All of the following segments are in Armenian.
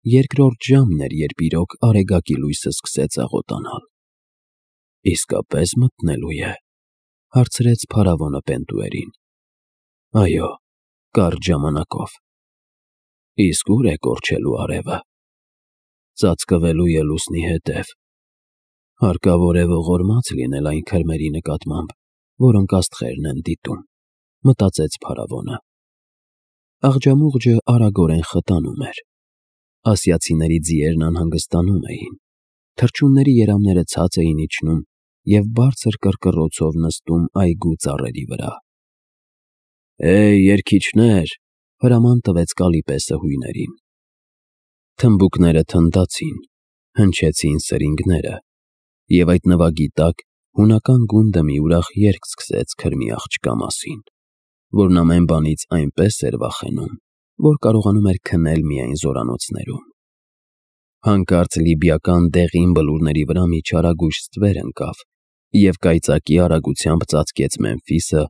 Երկրորդ ժամն էր, երբ իրոք արեգակի լույսը սկսեց աղոտանալ։ «Իսկապես մտնելու է», հարցրեց փարավոնը Պենտուերին։ «Այո, կարճ ժամանակով»։ «Իսկ ուր է կորչելու արևը»։ «Ծածկվելու է լուսնի հետև»։ «Հարկավոր է ողորմած լինել այն քրմերի նկատմամբ, որոնք աստղերն են դիտում», մտածեց փարավոնը։ Աղջամուղջը արագորեն խտանում էր։ Ասիացիների ձիերն անհանգստանում էին։ Թռչունների երամները ցած էին իջնում և բարձր կռկռոցով նստում այգու ծառերի վրա։ «Հեյ, երգիչներ», հրաման տվեց Կալիպեսը հույներին։ Թմբուկները թնդացին, հնչեցին սրինգները, և այդ նվագի տակ հունական գունդը մի ուրախ երգ սկսեց քրմի աղջկա մասին, որն ամեն բանից այնպես էր վախենում, որ կարողանում էր քնել միայն զորանոցներում։ Հանկարծ լիբիական դեղին բլուրների վրա մի չարագույժ ստվեր ընկավ և կայծակի արագությամբ ծածկեց Մեմֆիսը,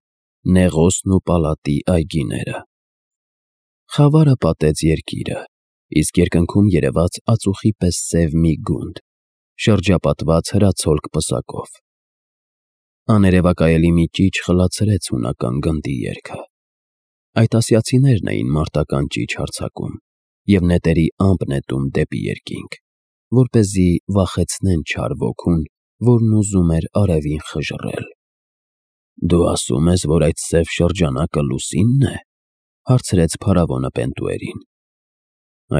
Նեղոսն ու Պալատի այգիները։ Խավարը պատեց երկիրը, իսկ երկնքում երևաց ածուխի պես սև մի գունդ, շրջապատված հրացոլք պսակով։ Աներևակայելի մի ճիչ խլացրեց հունական գնդի երգը։ Այդ ասիացիներն էին մարտական ճիչ հարձակում և նետերի ամպ նետում դեպի երկինք, որպեսզի վախեցնեն չար ոգուն, որն ուզում էր արևին խժռել։ «Դու ասում ես, որ այդ սև շրջանակը լուսինն է»։ Հարցրեց փարավոնը Պենտուերին։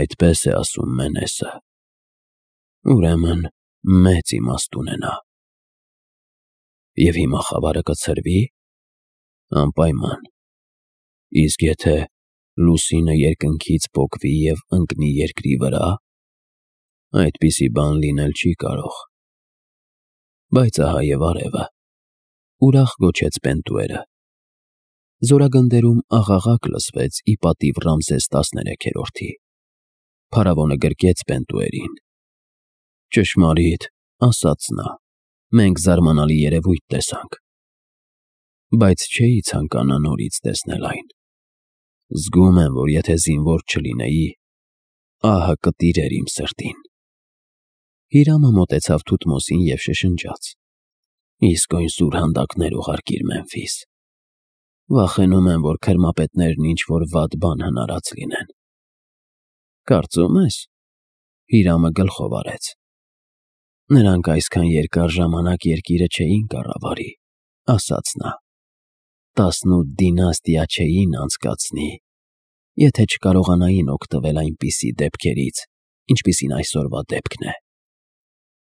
«Այդպես է ասում Մենեսը»։ «Ուրեմն մեծ իմաստ ունենա»։ «Եվ հիմա խավարը կցրվի»։ «Անպայման»։ «Իսկ եթե լուսինը երկնքից պոկվի և ընկնի երկրի վրա»։ «Այդպիսի բան լինել չի կարող»։ «Բայց ահա և արևը», ուրախ գոչեց Պենտուերը։ Զորագնդերում աղաղակ լսվեց ի պատիվ Ռամզես 13-րդի։ Փարավոնը գրկեց Պենտուերին։ «Ճշմարիտ, ասաց նա, մենք զարմանալի երևույթ տեսանք, բայց չէի ցանկանա նորից տեսնել այն։ Զգում եմ, որ եթե զինվոր չլինեի, ահը կտիրեր իմ սրտին»։ Հիրամը մոտեցավ Թութմոսին և շշնջաց. «Իսկույն սուրհանդակներ ուղարկիր Մեմֆիս։ Վախենում եմ, որ քրմապետներն ինչ-որ վատ բան հնարած լինեն»։ «Կարծում ես»։ Հիրամը գլխով արեց։ «Նրանք այսքան երկար ժամանակ երկիրը չէին կառավարի», ասաց նա։ 18 դինաստիա չէին անցկացնի, եթե չկարողանային օգտվել այնպիսի դեպքերից, ինչպիսին այսօրվա դեպքն է»։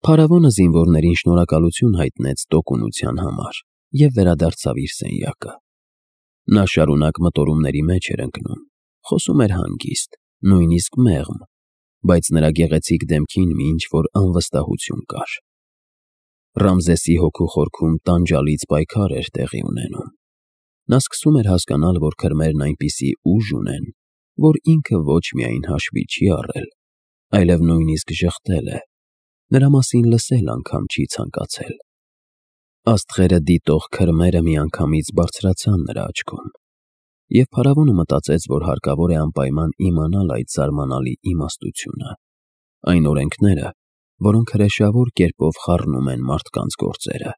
Փարավոնը զինվորներին շնորհակալություն հայտնեց տոկունության համար և վերադարձավ իր սենյակը։ Նա շարունակ մտորումների մեջ էր ընկնում, խոսում էր հանգիստ, նույնիսկ մեղմ, բայց նրա գեղեցիկ դեմքին մի ինչ-որ անվստահություն կար։ Ռամզեսի հոգու խորքում տանջալից պայքար էր տեղի ունենում։ Նա սկսում էր հասկանալ, որ քրմերն այնպիսի ուժ ունեն, որ ինքը ոչ միայն հաշվի չի առել, այլև նույնիսկ ժխտել է, նրա մասին լսել անգամ չի ցանկացել։ Աստղերը դիտող քրմերը միանգամից բարձրացան նրա աչքում, և փարավոնը մտածեց, որ հարկավոր է անպայման իմանալ այդ զարմանալի իմաստությունը, այն օրենքները, որոնք հրեշավոր կերպով խառնում են մարդկանց գործերը։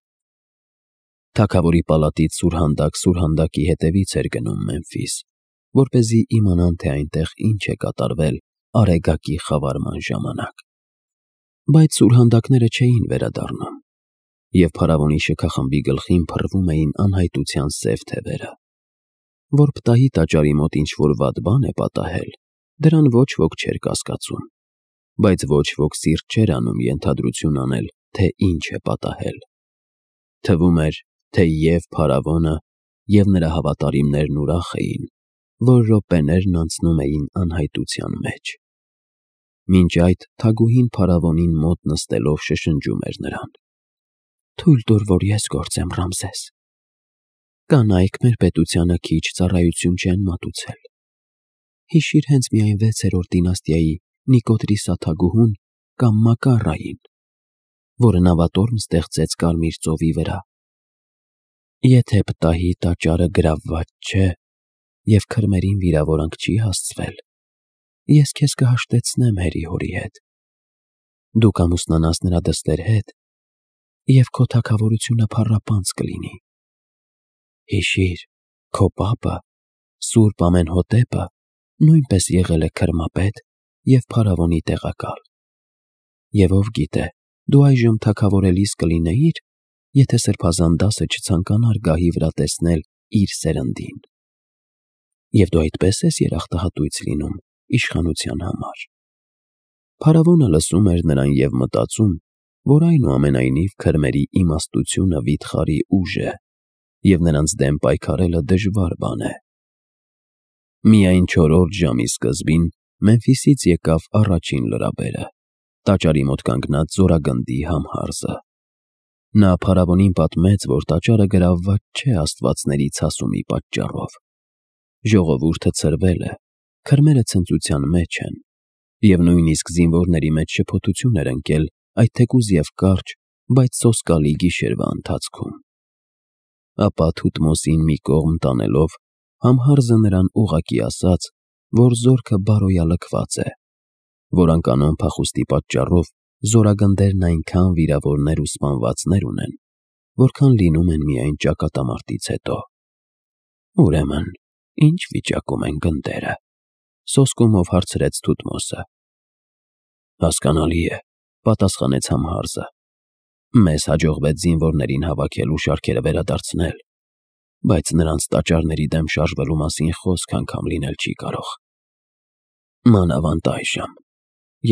Թագավորի պալատից սուրհանդակ սուրհանդակի հետևից էր գնում Մեմֆիս, որպեսզի իմանան, թե այնտեղ ինչ է կատարվել արեգակի խավարման ժամանակ։ Բայց սուրհանդակները չէին վերադառնում, և փարավոնի շքախմբի գլխին փռվում էին անհայտության սև թևերը։ Որ պտահի տաճարի մոտ ինչ-որ վատ բան է պատահել, դրան ոչ ոք չէր կասկածում, բայց ոչ ոք սիրտ չէր անում ենթադրություն անել, թե ինչ է պատահել։ Թվում էր, թե և փարավոնը, և նրա հավատարիմներն ուրախ էին, որ րոպեներն անցնում էին անհայտության մեջ։ Մինչ այդ թագուհին փարավոնին մոտ նստելով շշնջում էր նրան. «Թույլ տուր, որ ես գործեմ, Ռամզես։ Կանայք մեր պետությանը քիչ ծառայություն չեն մատուցել։ Հիշիր հենց մի այն 6-րդ դինաստիայի Նիկոդրիսա թագուհուն կամ Մակառային, որը նավատորմ ստեղծեց Կարմիր ծովի վրա։ Եթե պտահի տաճարը գրավված չէ և քրմերին վիրավորանք չի հասցվել, ես քեզ կհաշտեցնեմ հերի-հորի հետ։ Դու կամուսնանաս նրա դստեր հետ, և քո թագավորությունը փառապանծ կլինի։ Հիշիր, քո պապը, Սուրբ Ամենհոտեպը, նույնպես եղել է քրմապետ և փարավոնի տեղակալ։ Եվ ով գիտե, դու այժմ թագավորելիս կլինեիր, եթե սրբազան դասը չցանկանար գահի վրա տեսնել իր սերնդին։ Եվ դու այդպես ես երախտահատույց լինում իշխանության համար։ Փարավոնը լսում էր նրան և մտածում, որ այնուամենայնիվ քրմերի իմաստությունը վիթխարի ուժ է, և նրանց դեմ պայքարելը դժվար բան է։ Միայն 4-րդ ժամի սկզբին Մեմֆիսից եկավ առաջին լրաբերը, տաճարի մոտ կանգնած զորագնդի Համհարզը։ Նա փարավոնին պատմեց, որ տաճարը գրավված չէ աստվածների ցասումի պատճառով։ Ժողովուրդը ցրվել է, քրմերը ցնծության մեջ են, և նույնիսկ զինվորների մեջ շփոթություն էր ընկել այդ թեկուզ և կարճ, բայց սոսկալի գիշերվա ընթացքում։ Ապա Թութմոսին մի կողմ տանելով, Համհարզը նրան ուղղակի ասաց, որ զորքը բարոյալքված է, որ անկանոն փախուստի պատճառով զորագնդերն այնքան վիրավորներ ու սպանվածներ ունեն, որքան լինում են միայն ճակատամարտից հետո։ Ուրեմն, ի՞նչ վիճակում են գնդերը, սոսկումով հարցրեց Թութմոսը։ Հասկանալի է, պատասխանեց Համհարզը։ Մեզ հաջողվեց զինվորներին հավաքել ու շարքերը վերադարձնել, բայց նրանց տաճարների դեմ շարժվելու մասին խոսք անգամ լինել չի կարող։ Մանավանդ այժմ,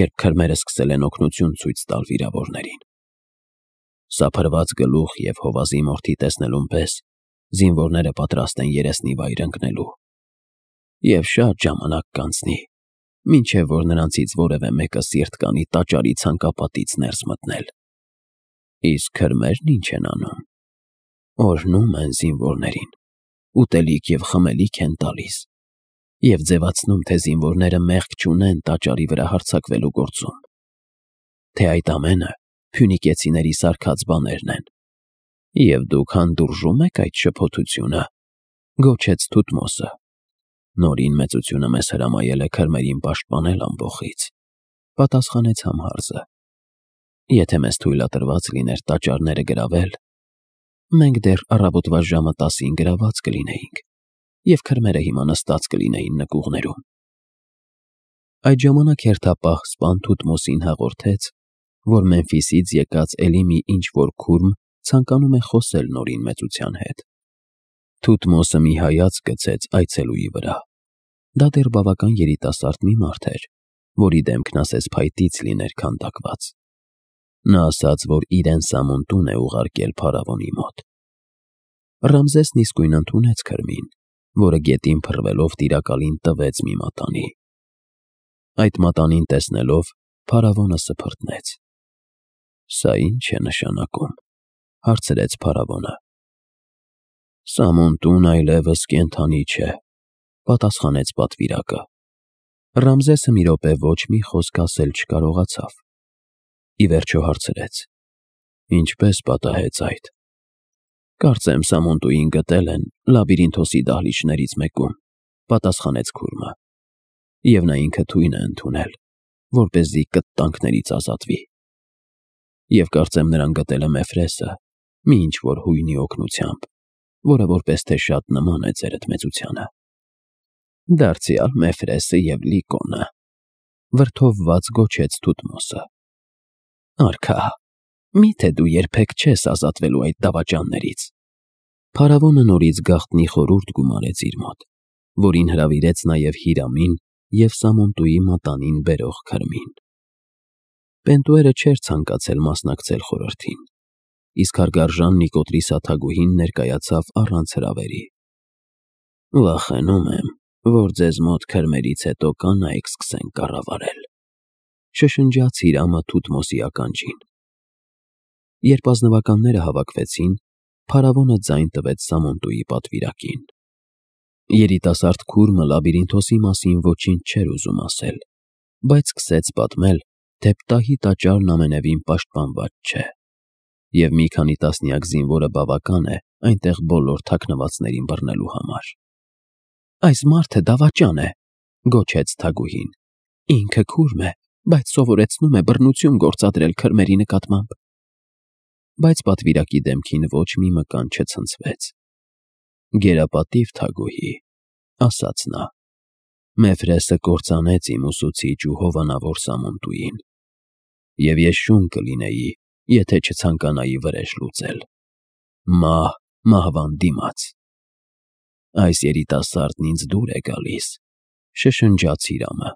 երբ քրմերը սկսել են օգնություն ցույց տալ վիրավորներին։ Սափրված գլուխ և հովազի մորթի տեսնելուն պես զինվորները պատրաստ են երեսնի վայր ընկնելու։ Եվ շատ ժամանակ կանցնի, մինչև որ նրանցից որևէ մեկը սիրտ կանի տաճարի ցանկապատից ներս մտնել։ Իսկ քրմերն ինչ են անում։ Օրհնում են զինվորներին, ուտելիք և խմելիք են տալիս, և ձևացնում, թե զինվորները մեղք չունեն տաճարի վրա հարձակվելու գործում, թե այդ ամենը փյունիկեցիների սարքած բաներն են։ Եվ դուք հանդուրժում եք այդ շփոթությունը, գոչեց Թութմոսը։ Նորին մեծությունը մեզ հրամայել է քրմերին պաշտպանել ամբոխից, պատասխանեց Համհարզը։ Եթե մեզ թույլատրված լիներ տաճարները գրավել, մենք դեռ առավոտվա ժամը 10-ին գրաված կլինեինք, և քրմերը հիմա նստած կլինեին նկուղներում։ Այդ ժամանակ հերթապահ սպան Թութմոսին հաղորդեց, որ Մեմֆիսից եկած էլի մի ինչ-որ քուրմ ցանկանում է խոսել Նորին մեծության հետ։ Թութմոսը մի հայացք գցեց այցելուի վրա։ Դա դեռ բավական երիտասարդ մի մարդ էր, որի դեմքն ասես փայտից լիներ քանդակված։ Նա ասաց, որ իրեն սամուն է ուղարկել փարավոնի մոտ։ Ռամզեսն իսկույն ընդունեց քրմին, որը գետին փռվելով տիրակալին տվեց մի մատանի։ Այդ մատանին տեսնելով, փարավոնը սփռտնեց։ Սա ի՞նչ է նշանակում, հարցրեց փարավոնը։ Սամուն այլևս կենդանի չէ, պատասխանեց պատվիրակը։ Ռամզեսը մի րոպե ոչ մի խոսք ասել չկարողացավ։ Ի վերջո հարցրեց. Ինչպես պատահեց այդ։ Կարծեմ Սամոնտուին գտել են Լաբիրինթոսի դահլիճներից մեկում, պատասխանեց քուրմը, և նա ինքը թույն է ընդունել, որպեսզի կտտանքներից ազատվի։ Եվ կարծեմ նրան գտել է Մեֆրեսը, մի ինչ-որ հույնի օգնությամբ, որը որպես թե շատ նման է ձերդ մեծությանը։ Դարձյալ Մեֆրեսը և Լիկոնը, վրդովված գոչեց Թութմոսը։ Արքա, միթե դու երբեք չես ազատվելու այդ դավաճաններից։ Փարավոնը նորից գաղտնի խորհուրդ գումարեց իր մոտ, որին հրավիրեց նաև Հիրամին և Սամոնտուի մատանին բերող քրմին։ Պենտուերը չէր ցանկացել մասնակցել խորհրդին, իսկ հարգարժան Նիկոտրի սաթագուհին ներկայացավ առանց հրավերի։ Վախենում եմ, որ ձեզ մոտ քրմերից հետո կանայք սկսեն կառավարել, շշնջաց Հիրամը Թութմոսի ականջին։ Երբ ազնվականները հավաքվեցին, փարավոնը ձայն տվեց Սամոնտուի պատվիրակին։ Երիտասարդ քուրմը Լաբիրինթոսի մասին ոչինչ չէր ուզում ասել, բայց սկսեց պատմել, թե Պտահի տաճարն ամենևին պաշտպանված չէ, և մի քանի տասնյակ զինվորը բավական է այնտեղ բոլոր թաքնվածներին բռնելու համար։ Այս մարդը դավաճան է, գոչեց թագուհին, Ինքը քուրմ է, բայց սովորեցնում է բռնություն գործադրել քրմերի նկատմամբ։ Բայց պատվիրակի դեմքին ոչ մի մկան չցնցվեց։ Գերապատիվ Թագուհի, ասաց նա, Մեֆրեսը կործանեց իմ ուսուցիչ ու հովանավոր Սամոնտուին, և ես շուն կլինեի, եթե չցանկանայի վրեժ լուծել։ Մահ մահվան դիմաց։ Այս երիտասարդն ինձ դուր է գալիս, շշնջաց Հիրամը,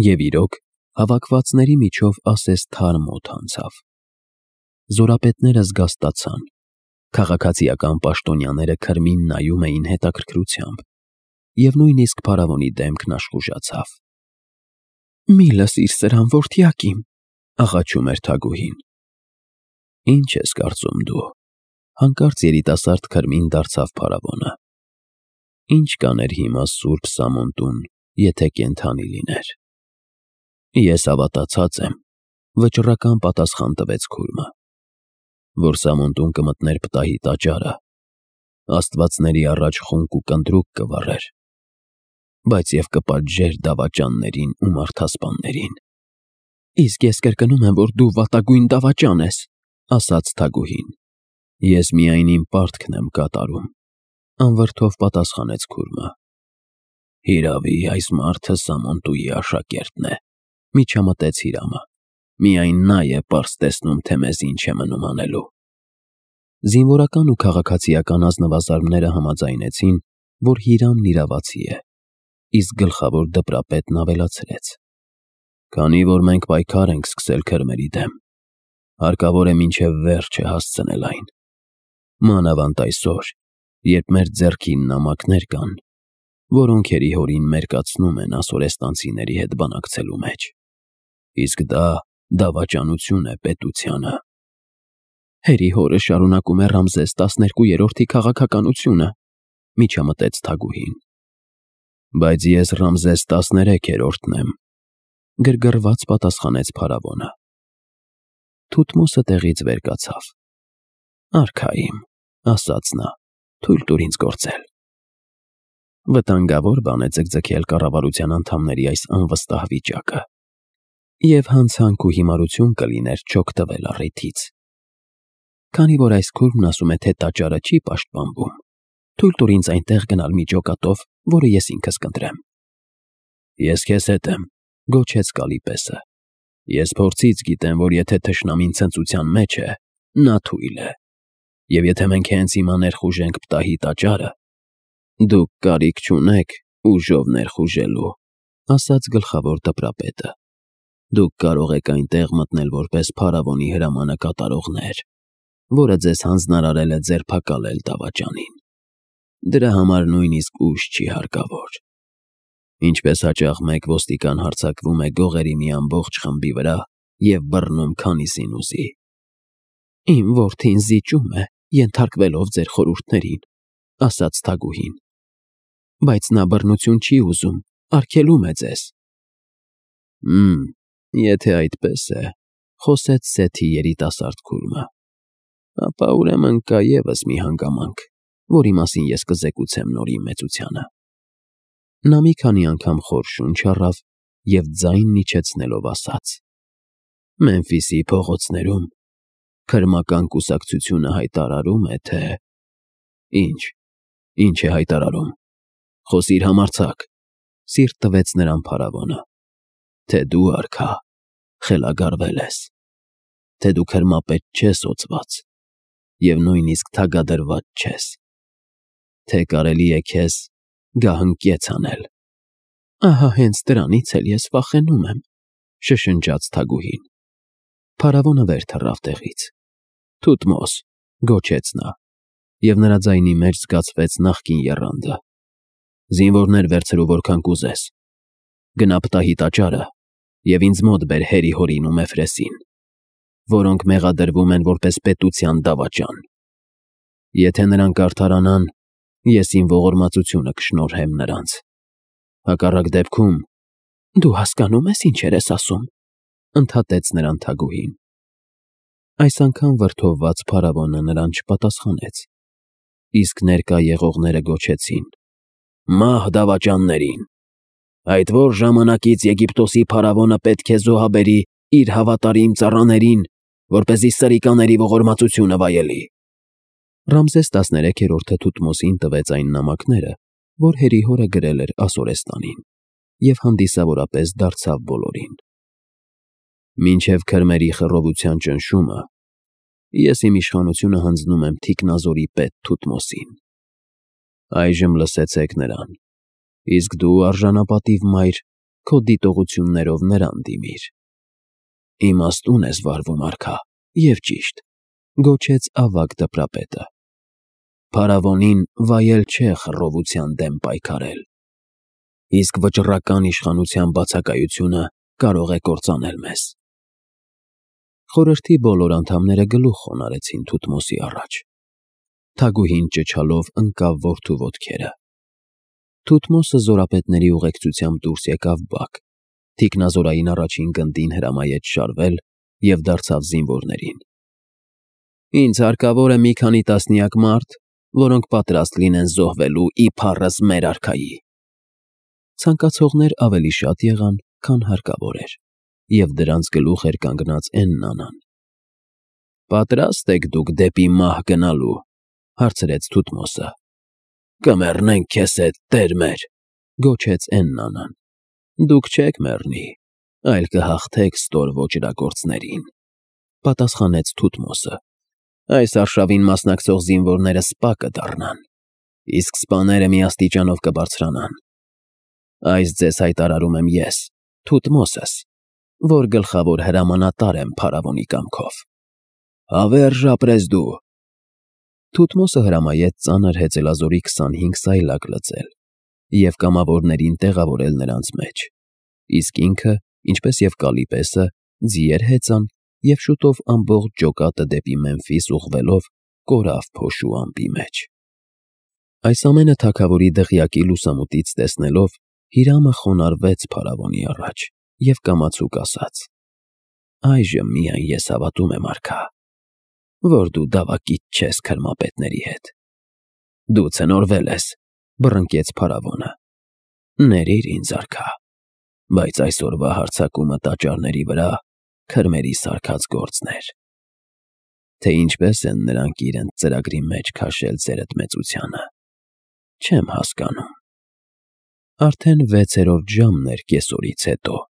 և իրոք հավաքվածների միջով ասես թարմ օդ անցավ։ Զորապետները զգաստացան, քաղաքացիական պաշտոնյաները քրմին նայում էին հետաքրքրությամբ, և նույնիսկ փարավոնի դեմքն աշխուժացավ։ «Մի լսիր սրան, որդյակիմ», աղաչում էր Թագուհին։ «Ինչ ես կարծում դու», հանկարծ երիտասարդ քրմին դարձավ փարավոնը։ «Ինչ կաներ հիմա Սուրբ Սամոնտուն, եթե կենդանի լիներ»։ «Ես հավատացած եմ», վճռական պատասխան տվեց քուրմը, «որ Սամոնտուն կմտներ պտահի տաճարը, աստվածների առաջ խունկ ու կնդրուկ կվառեր, բայց և կպատժեր դավաճաններին ու մարդասպաններին»։ «Իսկ ես կրկնում եմ, որ դու վատագույն դավաճան ես», ասաց Թագուհին։ «Ես միայն իմ պարտքն եմ կատարում», անվրդով պատասխանեց քուրմը։ «Հիրավի, այս մարդը Սամոնտուի աշակերտն է», միջամտեց Հիրամը։ «Միայն նա է պարզ տեսնում, թե մեզ ինչ է մնում անելու»։ Զինվորական ու քաղաքացիական ազնվազարդները համաձայնեցին, որ Հիրամն իրավացի է, իսկ գլխավոր դպրապետն ավելացրեց. «Քանի որ մենք պայքար ենք սկսել քրմերի դեմ, հարկավոր է մինչև վերջը հասցնել այն։ Մանավանդ այսօր, երբ մեր ձեռքին նամակներ կան, որոնք հերիհորին մերկացնում են ասորեստանցիների հետ բանակցելու մեջ։ Իսկ դա դավաճանություն է պետությանը»։ «Հերիհորը շարունակում է Ռամզես 12-րդի քաղաքականությունը», միջամտեց Թագուհին։ «Բայց ես Ռամզես 13-րդն եմ», գրգռված պատասխանեց փարավոնը։ Թութմոսը տեղից վեր կացավ։ «Արքա իմ», ասաց նա, «թույլ տուր ինձ գործել»։ Վտանգավոր բան է ձգձգել կառավարության անդամների այս անվստահ վիճակը, և հանցանք ու հիմարություն կլիներ չօգտվել առիթից։ Քանի որ այս քուրմն ասում է, թե տաճարը չի պաշտպանվում, թույլ տուր ինձ այնտեղ գնալ մի ջոկատով, որը ես ինքս կընտրեմ։ «Ես քեզ հետ եմ», գոչեց Կալիպեսը։ «Ես փորձից գիտեմ, որ եթե թշնամին ցնծության մեջ է, նա թույլ է, և եթե մենք հենց հիմա ներխուժենք պտահի տաճարը, դուք կարիք չունեք ուժով ներխուժելու», ասաց գլխավոր դպրապետը։ «Դուք կարող եք այնտեղ մտնել որպես փարավոնի հրամանը կատարողներ, որը ձեզ հանձնարարել է ձերբակալել դավաճանին։ Դրա համար նույնիսկ ուժ չի հարկավոր։ Ինչպես հաճախ մեկ ոստիկան հարձակվում է գողերի մի ամբողջ խմբի վրա և բռնում քանիսին ուզի»։ «Իմ որդին զիջում է, ենթարկվելով ձեր խորհուրդներին», ասաց Թագուհին, «բայց նա բռնություն չի ուզում, արգելում է ձեզ»։ Եթե այդպես է», խոսեց Սեթի երիտասարդ քուրմը, «ապա ուրեմն կա ևս մի հանգամանք, որի մասին ես կզեկուցեմ նորի մեծությանը»։ Նա մի քանի անգամ խոր շունչ առավ և ձայնն իջեցնելով ասաց. «Մեմֆիսի փողոցներում քրմական կուսակցությունը հայտարարում է, թե…» Ինչ է հայտարարում։ Խոսիր համարձակ, սիրտ տվեց նրան փարավոնը։ «Թե դու, արքա, խելագարվել ես, թե դու քրմապետ չես օծված և նույնիսկ թագադրված չես, թե կարելի է քեզ գահընկեց անել»։ «Ահա հենց դրանից էլ ես վախենում եմ», շշնջաց Թագուհին։ Փարավոնը վեր թռավ տեղից։ «Թութմոս», գոչեց նա, և նրա ձայնի մեջ զգացվեց նախկին եռանդը։ «Զինվորներ վերցրու որքան կուզես։ Գնա պտահի տաճարը և ինձ մոտ բեր Հերիհորին ու Մեֆրեսին, որոնք մեղադրվում են որպես պետության դավաճան։ Եթե նրանք արդարանան, ես իմ ողորմածությունը կշնորհեմ նրանց։ Հակառակ դեպքում…» «Դու հասկանո՞ւմ ես ինչեր ես ասում», ընդհատեց նրան Թագուհին։ Այս անգամ վրդովված փարավոնը նրան չպատասխանեց, իսկ ներկա եղողները գոչեցին. «Մահ դավաճաններին»։ Այդ որ ժամանակից Եգիպտոսի փարավոնը պետք է զոհաբերի իր հավատարիմ ծառաներին, որպեսզի սրիկաների ողորմածությունը վայելի։ Ռամզես 13-րդը Թութմոսին տվեց այն նամակները, որ Հերիհորը գրել էր Ասորեստանին, և հանդիսավորապես դարձավ բոլորին. «Մինչև քրմերի խռովության ճնշումը ես իմ իշխանությունը հանձնում եմ Թիկնազորի պետ Թութմոսին։ Այժմ լսեցեք նրան, իսկ դու արժանապատիվ մայր քո դիտողություններով նրան դիմիր»։ «Իմաստուն ես վարվում, արքա, և ճիշտ», գոչեց ավագ դպրապետը։ «Փարավոնին վայել չէ խռովության դեմ պայքարել, իսկ վճռական իշխանության բացակայությունը կարող է կործանել մեզ»։ Խորհրդի բոլոր անդամները գլուխ խոնարհեցին Թութմոսի առաջ։ Թագուհին ճչալով ընկավ որդու ոտքերը։ Թութմոսը զորապետների ուղեկցությամբ դուրս եկավ բակ, թիկնազորային առաջին գնդին հրամայեց շարվել և դարձավ զինվորներին. «Ինձ հարկավոր է մի քանի տասնյակ մարդ, որոնք պատրաստ լինեն զոհվելու իբառս մեր արքայի»։ Ցանկացողներ ավելի շատ եղան, քան հարկավոր էր, և դրանց գլուխ էր կանգնած Էննան։ «Պատրա՞ստ եք դուք դեպի մահ գնալու», հարցրեց Թութմոսը։ «Կմեռնենք քեզ հետ, տեր մեր», գոչեց Էննան։ «Դուք չեք մեռնի, այլ կհաղթեք ստոր ոճրագործներին», պատասխանեց Թութմոսը։ «Այս արշավին մասնակցող զինվորները սպա կդառնան, իսկ սպաները մի աստիճանով կբարձրանան։ Այս ձեզ հայտարարում եմ ես, Թութմոսս, որ գլխավոր հրամանատար եմ փարավոնի կամքով»։ «Հավերժ ապրես դու»։ Թութմոսը հրամայեց ծանր հեծելազորի 25 սայլակ լցել և կամավորներին տեղավորել նրանց մեջ, իսկ ինքը, ինչպես և Կալիպեսը, ձիեր հեծան և շուտով ամբողջ ջոկատը դեպի Մեմֆիս ուղղվելով կորավ փոշու ամպի մեջ։ Այս ամենը թագավորի դղյակի լուսամուտից տեսնելով, Հիրամը խոնարհվեց փարավոնի առաջ և կամացուկ ասաց. «Այժմ միայն ես հավատում եմ, արքա, որ դու դավակիցք չես քրմապետների հետ»։ «Դու ցնորվել ես», բռնկեց փարավոնը։ «Ներիր ինձ, արքա, բայց այսօրվա հարձակումը տաճարների վրա քրմերի սարքած գործն էր։ Թե ինչպես են նրանք իրենց ծրագրի մեջ քաշել ձերդ մեծությանը, չեմ հասկանում»։ Արդեն 6-րդ ժամն էր կեսօրից հետո։